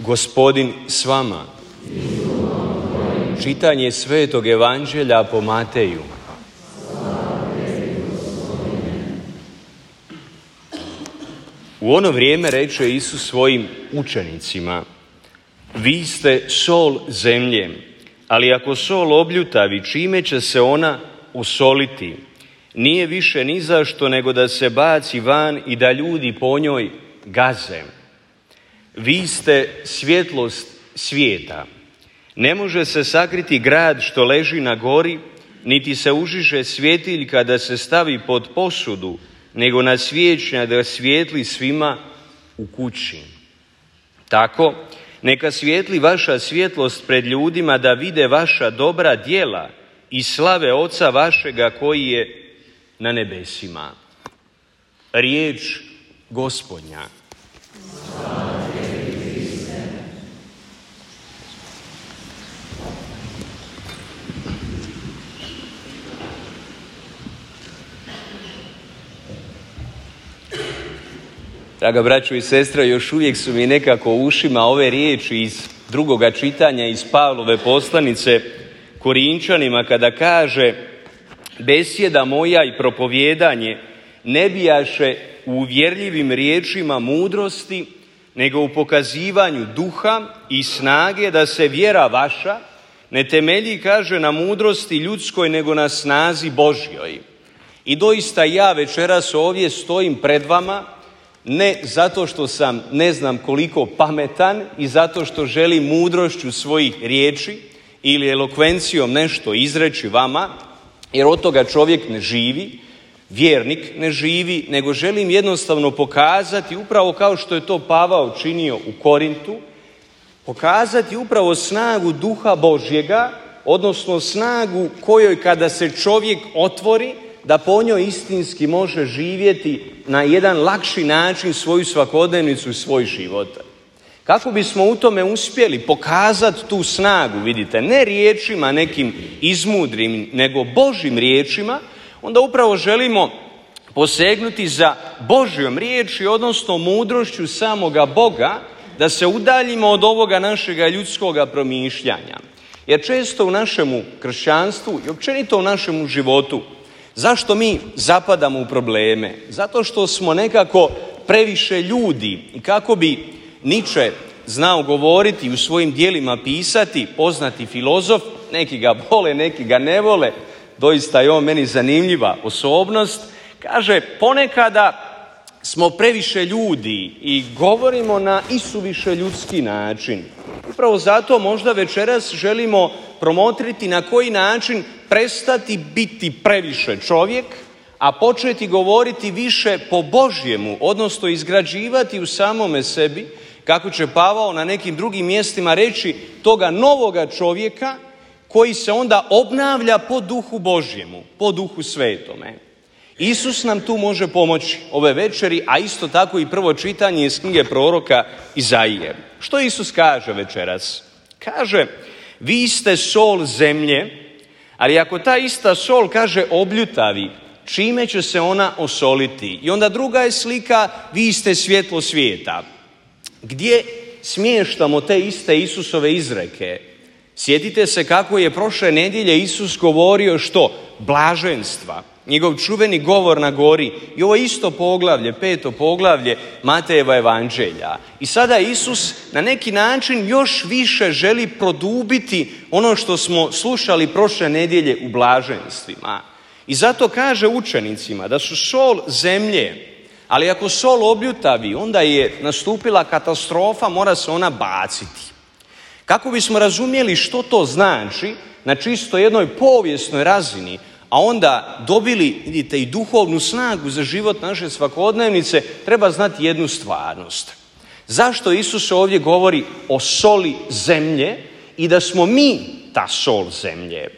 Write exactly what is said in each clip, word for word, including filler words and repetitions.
Gospodin s vama. Čitanje Svetog Evanđelja po Mateju. U ono vrijeme reče Isus svojim učenicima: vi ste sol zemlje, ali ako sol obljutavi, čime će se ona osoliti? Nije više ni zašto nego da se baci van i da ljudi po njoj gaze. Vi ste svjetlost svijeta. Ne može se sakriti grad što leži na gori, niti se užiže svjetilj kada se stavi pod posudu, nego na svijećnjak da svijetli svima u kući. Tako, neka svijetli vaša svjetlost pred ljudima, da vide vaša dobra djela i slave Oca vašega koji je na nebesima. Riječ Gospodnja. Draga braćo i sestre, još uvijek su mi nekako u ušima ove riječi iz drugoga čitanja iz Pavlove poslanice Korinčanima, kada kaže: besjeda moja i propovijedanje ne bijaše u uvjerljivim riječima mudrosti, nego u pokazivanju duha i snage, da se vjera vaša ne temelji, kaže, na mudrosti ljudskoj, nego na snazi Božjoj. I doista ja večeras ovdje stojim pred vama ne zato što sam ne znam koliko pametan i zato što želim mudrošću svojih riječi ili elokvencijom nešto izreći vama, jer od toga čovjek ne živi, vjernik ne živi, nego želim jednostavno pokazati, upravo kao što je to Pavao činio u Korintu, pokazati upravo snagu Duha Božjega, odnosno snagu kojoj kada se čovjek otvori, da po njoj istinski može živjeti na jedan lakši način svoju svakodnevnicu i svoj život. Kako bismo u tome uspjeli pokazati tu snagu, vidite, ne riječima nekim izmudrim, nego Božjim riječima, onda upravo želimo posegnuti za Božjom riječi, odnosno mudrošću samoga Boga, da se udaljimo od ovoga našega ljudskoga promišljanja. Jer često u našemu kršćanstvu i općenito u našemu životu, zašto mi zapadamo u probleme? Zato što smo nekako previše ljudi. I kako bi Nietzsche znao govoriti i u svojim dijelima pisati, poznati filozof, neki ga vole, neki ga ne vole, doista je on meni zanimljiva osobnost, kaže: ponekada smo previše ljudi i govorimo na isuviše ljudski način. Upravo zato možda večeras želimo promotriti na koji način prestati biti previše čovjek, a početi govoriti više po Božjemu, odnosno izgrađivati u samome sebi, kako će Pavao na nekim drugim mjestima reći, toga novoga čovjeka koji se onda obnavlja po Duhu Božjemu, po Duhu Svetome. Isus nam tu može pomoći ove večeri, a isto tako i prvo čitanje iz knjige proroka Izaije. Što Isus kaže večeras? Kaže: vi ste sol zemlje, ali ako ta ista sol, kaže, obljutavi, čime će se ona osoliti? I onda druga je slika: vi ste svjetlo svijeta. Gdje smještamo te iste Isusove izreke? Sjetite se kako je prošle nedjelje Isus govorio što? Blaženstva. Njegov čuveni govor na gori. I ovo isto poglavlje, peto poglavlje Matejeva evanđelja. I sada Isus na neki način još više želi produbiti ono što smo slušali prošle nedjelje u blaženstvima. I zato kaže učenicima da su sol zemlje, ali ako sol obljutavi, onda je nastupila katastrofa, mora se ona baciti. Kako bismo razumjeli što to znači na čisto jednoj povijesnoj razini, a onda dobili, vidite, i duhovnu snagu za život naše svakodnevnice, treba znati jednu stvarnost. Zašto Isus ovdje govori o soli zemlje i da smo mi ta sol zemlje?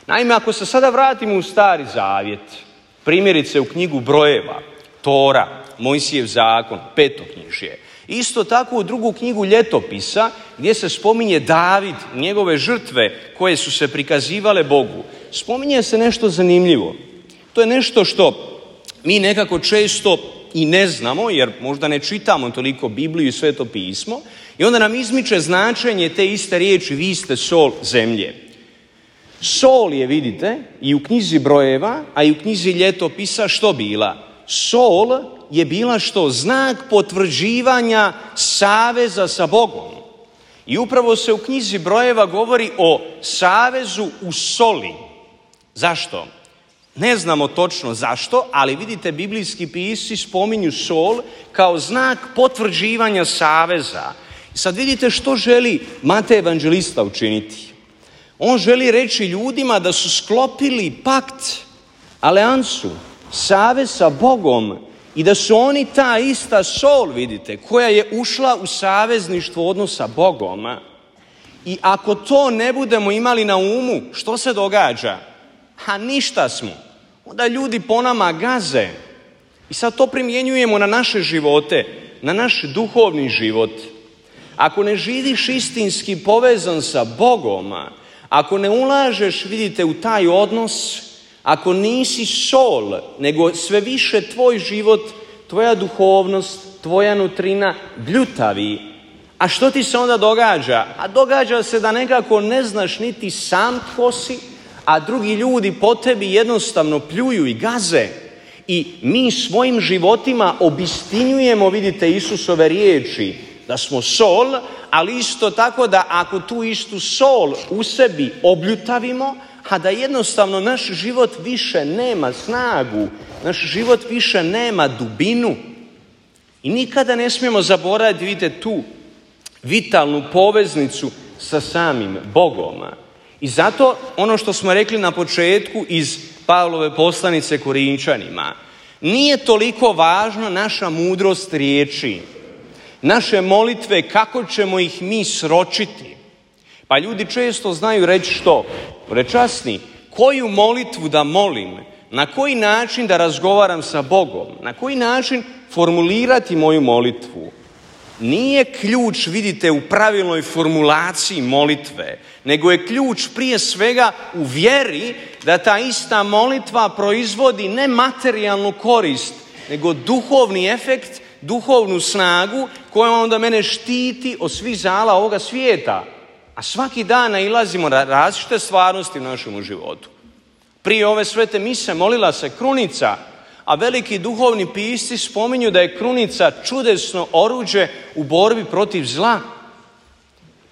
Naime, ako se sada vratimo u Stari Zavjet, primjerice u knjigu Brojeva, Tora, Mojsijev zakon, Petoknjižje, isto tako u drugu knjigu Ljetopisa, gdje se spominje David, njegove žrtve koje su se prikazivale Bogu, spominje se nešto zanimljivo. To je nešto što mi nekako često i ne znamo, jer možda ne čitamo toliko Bibliju i Sveto pismo, i onda nam izmiče značenje te iste riječi, vi ste sol zemlje. Sol je, vidite, i u knjizi Brojeva, a i u knjizi Ljetopisa što bila? Sol je bila što? Znak potvrđivanja saveza sa Bogom. I upravo se u knjizi Brojeva govori o savezu u soli. Zašto? Ne znamo točno zašto, ali vidite, biblijski pisci spominju sol kao znak potvrđivanja saveza. Sad vidite što želi Matej evanđelista učiniti. On želi reći ljudima da su sklopili pakt, alijansu, savez sa Bogom i da su oni ta ista sol, vidite, koja je ušla u savezništvo odnosa sa Bogom. I ako to ne budemo imali na umu, što se događa? A ništa smo. Onda ljudi po nama gaze. I sad to primjenjujemo na naše živote, na naš duhovni život. Ako ne živiš istinski povezan sa Bogom, ako ne ulažeš, vidite, u taj odnos, ako nisi sol, nego sve više tvoj život, tvoja duhovnost, tvoja nutrina bljutavi. A što ti se onda događa? A događa se da nekako ne znaš niti sam tko si, a drugi ljudi po tebi jednostavno pljuju i gaze. I mi svojim životima obistinjujemo, vidite, Isusove riječi, da smo sol, ali isto tako da ako tu istu sol u sebi obljutavimo, a da jednostavno naš život više nema snagu, naš život više nema dubinu. I nikada ne smijemo zaboraviti, vidite, tu vitalnu poveznicu sa samim Bogom. I zato ono što smo rekli na početku iz Pavlove poslanice Korinčanima, nije toliko važna naša mudrost riječi, naše molitve, kako ćemo ih mi sročiti. Pa ljudi često znaju reći što? Prečasni, koju molitvu da molim, na koji način da razgovaram sa Bogom, na koji način formulirati moju molitvu. Nije ključ, vidite, u pravilnoj formulaciji molitve, nego je ključ prije svega u vjeri da ta ista molitva proizvodi ne materijalnu korist, nego duhovni efekt, duhovnu snagu koja onda mene štiti od svih zala ovoga svijeta. A svaki dan nailazimo na različite stvarnosti u našem životu. Prije ove svete mise molila se krunica, a veliki duhovni pisci spominju da je krunica čudesno oruđe u borbi protiv zla.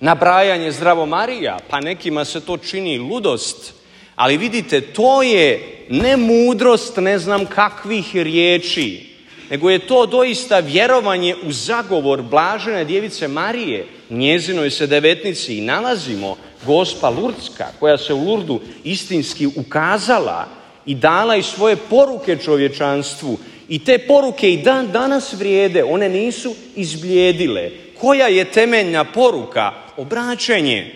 Nabrajanje Zdravo Marija, pa nekima se to čini ludost. Ali vidite, to je ne mudrost ne znam kakvih riječi, nego je to doista vjerovanje u zagovor blažene djevice Marije. Njezinoj se devetnici i nalazimo Gospa Lurdska, koja se u Lurdu istinski ukazala i dala i svoje poruke čovječanstvu. I te poruke i dan danas vrijede, one nisu izblijedile. Koja je temeljna poruka? Obraćenje.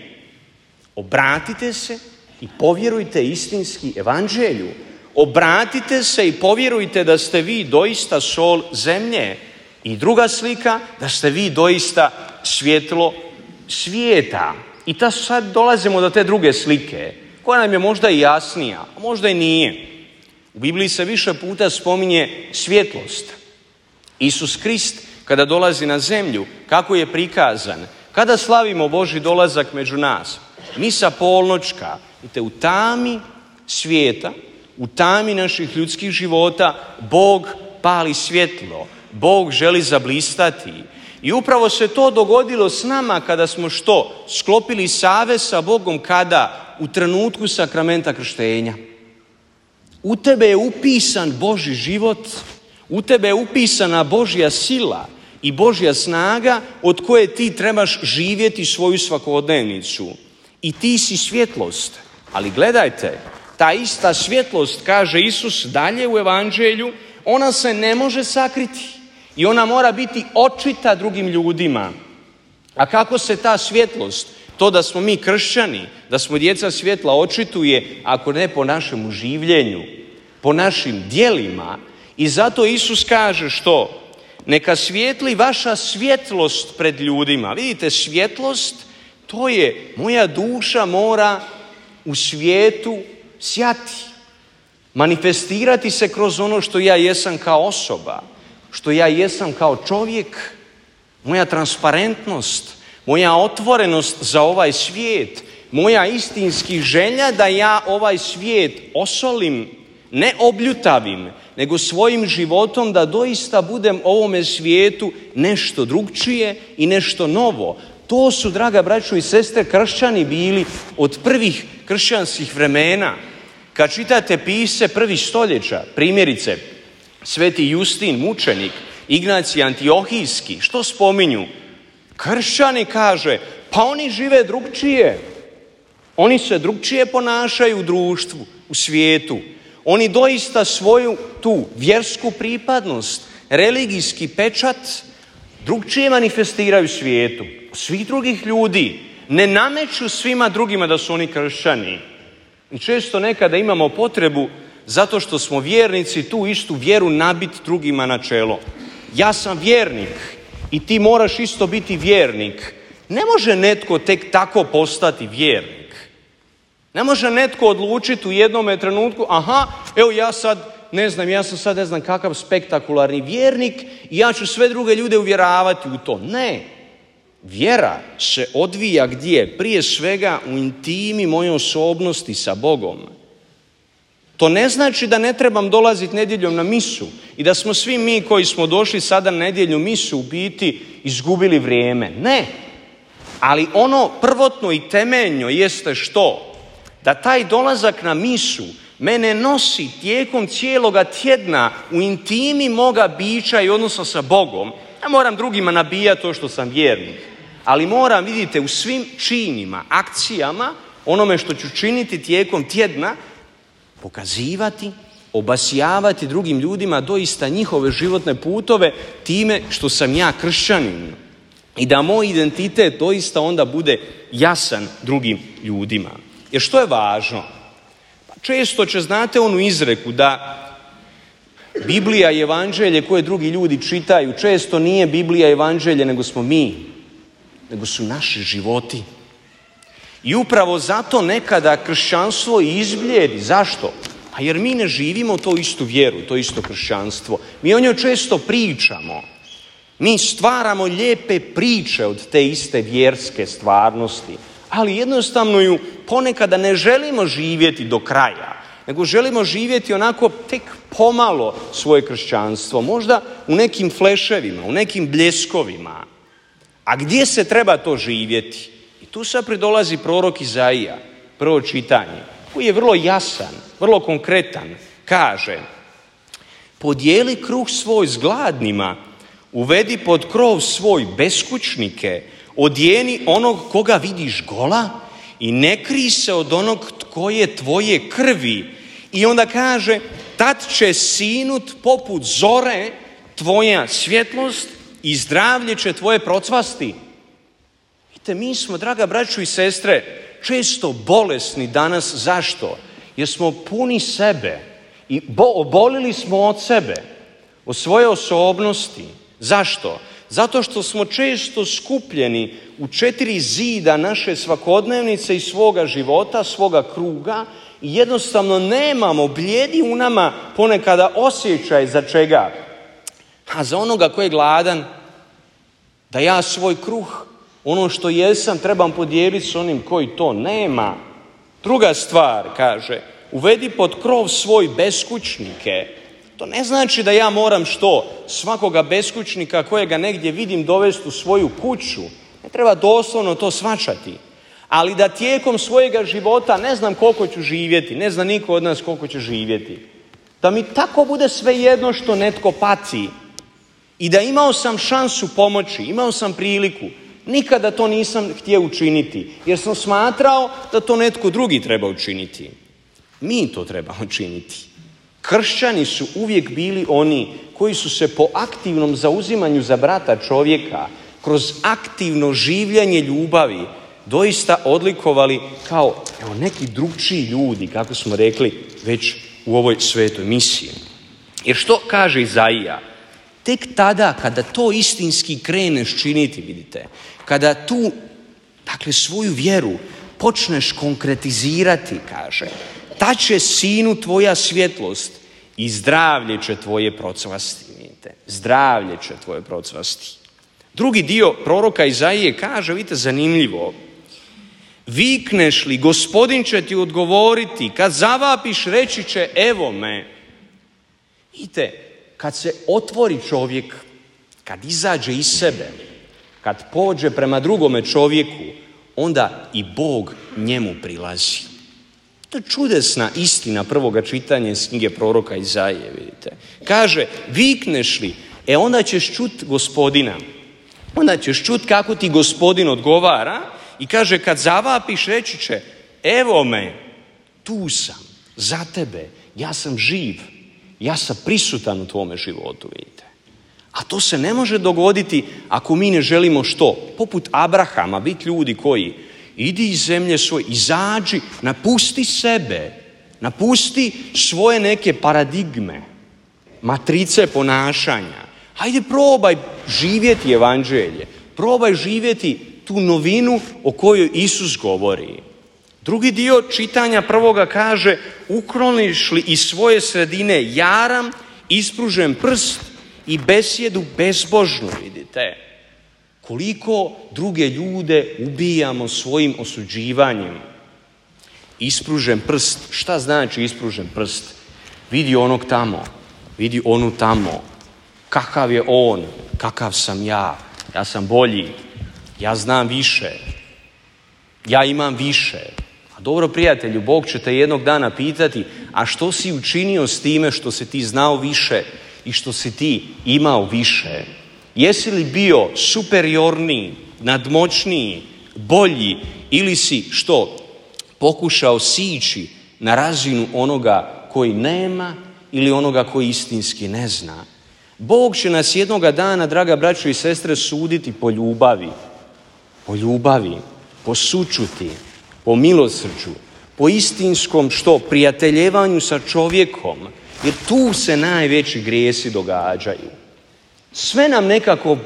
Obratite se i povjerujte istinski evanđelju. Obratite se i povjerujte da ste vi doista sol zemlje. I druga slika, da ste vi doista svjetlo svijeta. I ta sad dolazimo do te druge slike, koja nam je možda i jasnija, a možda i nije. U Bibliji se više puta spominje svjetlost. Isus Krist, kada dolazi na zemlju, kako je prikazan? Kada slavimo Božji dolazak među nas? Misa polnoćka, vidite, u tami svijeta, u tami naših ljudskih života, Bog pali svjetlo, Bog želi zablistati. I upravo se to dogodilo s nama kada smo što? Sklopili savez sa Bogom kada? U trenutku sakramenta krštenja. U tebe je upisan Božji život, u tebe je upisana Božja sila i Božja snaga od koje ti trebaš živjeti svoju svakodnevnicu. I ti si svjetlost. Ali gledajte, ta ista svjetlost, kaže Isus dalje u evanđelju, ona se ne može sakriti i ona mora biti očita drugim ljudima. A kako se ta svjetlost, to da smo mi kršćani, da smo djeca svjetla, očituje ako ne po našem življenju, po našim djelima. I zato Isus kaže što? Neka svijetli vaša svjetlost pred ljudima. Vidite, svjetlost, to je moja duša mora u svijetu sjati, manifestirati se kroz ono što ja jesam kao osoba. što ja jesam kao čovjek, moja transparentnost, moja otvorenost za ovaj svijet, moja istinski želja da ja ovaj svijet osolim, ne obljutavim, nego svojim životom da doista budem ovome svijetu nešto drugčije i nešto novo. To su, draga braćo i sestre, kršćani bili od prvih kršćanskih vremena. Kad čitate pise prvih stoljeća, primjerice, Sveti Justin, mučenik, Ignacij Antiohijski, što spominju? Kršćani, kaže, pa oni žive drugčije. Oni se drugčije ponašaju u društvu, u svijetu. Oni doista svoju tu vjersku pripadnost, religijski pečat drugčije manifestiraju svijetu. Svih drugih ljudi ne nameću svima drugima da su oni kršćani. I često nekada imamo potrebu, zato što smo vjernici, tu istu vjeru nabiti drugima na čelo. Ja sam vjernik i ti moraš isto biti vjernik. Ne može netko tek tako postati vjernik. Ne može netko odlučiti u jednom trenutku, aha, evo ja sad, ne znam, ja sam sad ne znam kakav spektakularni vjernik i ja ću sve druge ljude uvjeravati u to. Ne. Vjera se odvija gdje? Prije svega u intimi moje osobnosti sa Bogom. To ne znači da ne trebam dolaziti nedjeljom na misu i da smo svi mi koji smo došli sada na nedjelju misu u biti izgubili vrijeme. Ne. Ali ono prvotno i temeljno jeste što? Da taj dolazak na misu mene nosi tijekom cijeloga tjedna u intimi moga bića i odnosa sa Bogom. Ja moram drugima nabijati to što sam vjernik. Ali moram, vidite, u svim činima, akcijama, onome što ću činiti tijekom tjedna, pokazivati, obasjavati drugim ljudima doista njihove životne putove time što sam ja kršćanin. I da moj identitet doista onda bude jasan drugim ljudima. Jer što je važno? Pa često će, znate onu izreku da Biblija i evanđelje koje drugi ljudi čitaju, često nije Biblija i evanđelje nego smo mi, nego su naši životi. I upravo zato nekada kršćanstvo i izbljedi. Zašto? A jer mi ne živimo to istu vjeru, to isto kršćanstvo. Mi o njoj često pričamo. Mi stvaramo lijepe priče od te iste vjerske stvarnosti, ali jednostavno ju ponekada ne želimo živjeti do kraja, nego želimo živjeti onako tek pomalo svoje kršćanstvo, možda u nekim fleševima, u nekim bljeskovima. A gdje se treba to živjeti? I tu sad pridolazi prorok Izaija, prvo čitanje, koji je vrlo jasan, vrlo konkretan. Kaže, podijeli kruh svoj s gladnima, uvedi pod krov svoj beskućnike, odjeni onog koga vidiš gola i ne krij se od onog tko je tvoje krvi. I onda kaže, tad će sinut poput zore tvoja svjetlost i zdravlje će tvoje procvasti. Vidite, mi smo, draga braćo i sestre, često bolesni danas. Zašto? Jer smo puni sebe i obolili smo od sebe, od svoje osobnosti. Zašto? Zato što smo često skupljeni u četiri zida naše svakodnevnice i svoga života, svoga kruga i jednostavno nemamo, blijedi u nama ponekada osjećaj za čega? A za onoga koji je gladan, da ja svoj kruh, ono što jesam, trebam podijeliti s onim koji to nema. Druga stvar, kaže, uvedi pod krov svoj beskućnike. To ne znači da ja moram što? Svakoga beskućnika kojega negdje vidim dovesti u svoju kuću. Ne treba doslovno to shvaćati. Ali da tijekom svojega života ne znam koliko ću živjeti, ne zna niko od nas koliko će živjeti. Da mi tako bude svejedno što netko pati. I da imao sam šansu pomoći, imao sam priliku. Nikada to nisam htio učiniti, jer sam smatrao da to netko drugi treba učiniti. Mi to trebamo činiti. Kršćani su uvijek bili oni koji su se po aktivnom zauzimanju za brata čovjeka, kroz aktivno življenje ljubavi, doista odlikovali kao evo, neki drugčiji ljudi, kako smo rekli već u ovoj svetoj misiji. Jer što kaže Izaija? Tek tada kada to istinski kreneš činiti, vidite, kada tu, dakle, svoju vjeru počneš konkretizirati, kaže, ta će sinu tvoja svjetlost i zdravlje će tvoje procvasti. vidite. Zdravlje će tvoje procvasti. Drugi dio proroka Izaije kaže, vidite, zanimljivo. Vikneš li, Gospodin će ti odgovoriti, kad zavapiš reći će evo me. Vidite, kad se otvori čovjek, kad izađe iz sebe, kad pođe prema drugome čovjeku, onda i Bog njemu prilazi. To je čudesna istina prvoga čitanja iz knjige proroka Izaije, vidite. Kaže, vikneš li, e onda ćeš čut Gospodina. Onda ćeš čut kako ti Gospodin odgovara i kaže, kad zavapiš reći će, evo me, tu sam, za tebe, ja sam živ, ja sam prisutan u tvome životu, vidite. A to se ne može dogoditi ako mi ne želimo što? Poput Abrahama, biti ljudi koji idi iz zemlje svoje, izađi, napusti sebe, napusti svoje neke paradigme, matrice ponašanja. Hajde probaj živjeti evanđelje, probaj živjeti tu novinu o kojoj Isus govori. Drugi dio čitanja prvoga kaže, ukloniš li iz svoje sredine jaram, ispružen prst i besjedu bezbožnu, vidite. Koliko druge ljude ubijamo svojim osuđivanjem. Ispružen prst, šta znači ispružen prst? Vidi onog tamo, vidi onu tamo. Kakav je on, kakav sam ja, ja sam bolji, ja znam više, ja imam više. A dobro, prijatelju, Bog će te jednog dana pitati, a što si učinio s time što si ti znao više i što si ti imao više? Jesi li bio superiorniji, nadmoćniji, bolji ili si što? Pokušao sići na razinu onoga koji nema ili onoga koji istinski ne zna? Bog će nas jednoga dana, draga braćo i sestre, suditi po ljubavi. Po ljubavi, po sućuti, po milosrđu, po istinskom što? Prijateljevanju sa čovjekom. Jer tu se najveći grijesi događaju. Sve nam nekako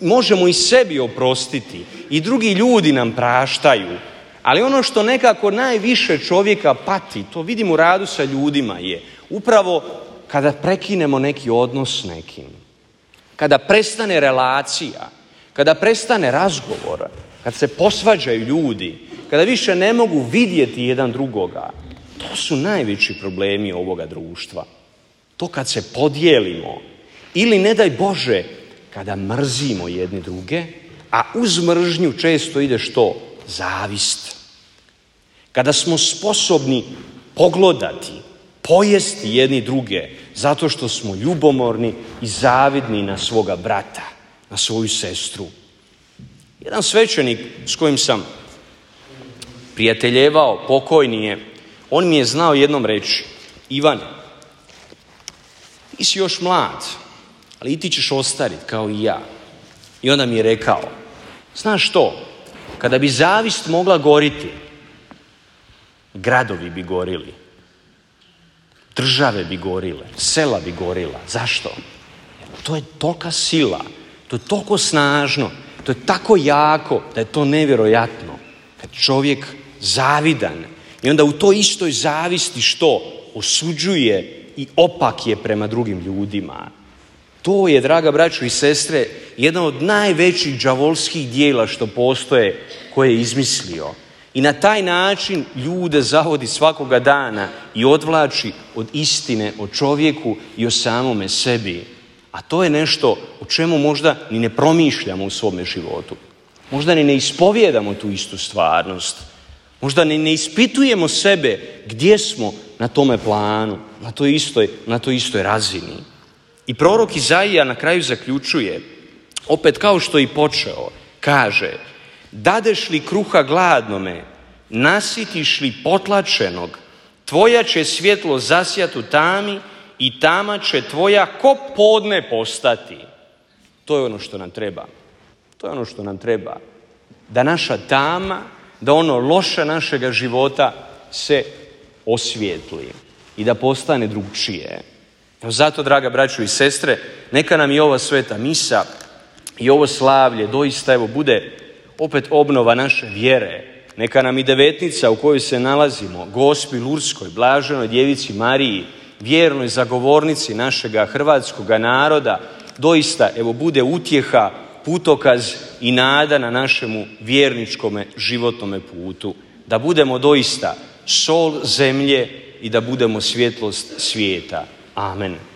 možemo i sebi oprostiti i drugi ljudi nam praštaju. Ali ono što nekako najviše čovjeka pati, to vidimo u radu sa ljudima, je upravo kada prekinemo neki odnos s nekim, kada prestane relacija, kada prestane razgovor, kad se posvađaju ljudi, kada više ne mogu vidjeti jedan drugoga, to su najveći problemi ovoga društva. To kad se podijelimo ili, ne daj Bože, kada mrzimo jedni druge, a uz mržnju često ide što? Zavist. Kada smo sposobni poglodati, pojesti jedni druge zato što smo ljubomorni i zavidni na svoga brata, na svoju sestru. Jedan svećenik s kojim sam prijateljevao, pokojni je, on mi je znao jednom reći, Ivane, ti si još mlad, ali i ti ćeš ostariti kao i ja. I onda mi je rekao, znaš što, kada bi zavist mogla goriti, gradovi bi gorili, države bi gorile, sela bi gorila. Zašto? Jer to je tolika sila, to je toliko snažno, to je tako jako da je to nevjerojatno. Kad čovjek zavidan i onda u toj istoj zavisti što? Osuđuje i opak je prema drugim ljudima. To je, draga braćo i sestre, jedan od najvećih đavolskih dijela što postoje, koje je izmislio. I na taj način ljude zavodi svakoga dana i odvlači od istine o čovjeku i o samome sebi. A to je nešto o čemu možda ni ne promišljamo u svome životu. Možda ni ne ispovijedamo tu istu stvarnost. Možda ni ne ispitujemo sebe gdje smo na tome planu, na toj istoj, na toj istoj razini. I prorok Izaija na kraju zaključuje, opet kao što je i počeo, kaže, dadeš li kruha gladnome, nasitiš li potlačenog, tvoja će svjetlo zasjati u tami i tama će tvoja ko podne postati. To je ono što nam treba. To je ono što nam treba. Da naša tama, da ono loše našega života se osvijetli i da postane drugčije. Zato, draga braćo i sestre, neka nam i ova sveta misa i ovo slavlje doista evo bude opet obnova naše vjere. Neka nam i devetnica u kojoj se nalazimo, Gospi Lurskoj, blaženoj djevici Mariji, vjernoj zagovornici našega hrvatskoga naroda doista evo bude utjeha, putokaz i nada na našemu vjerničkome životnome putu. Da budemo doista sol zemlje i da budemo svjetlost svijeta. Amen.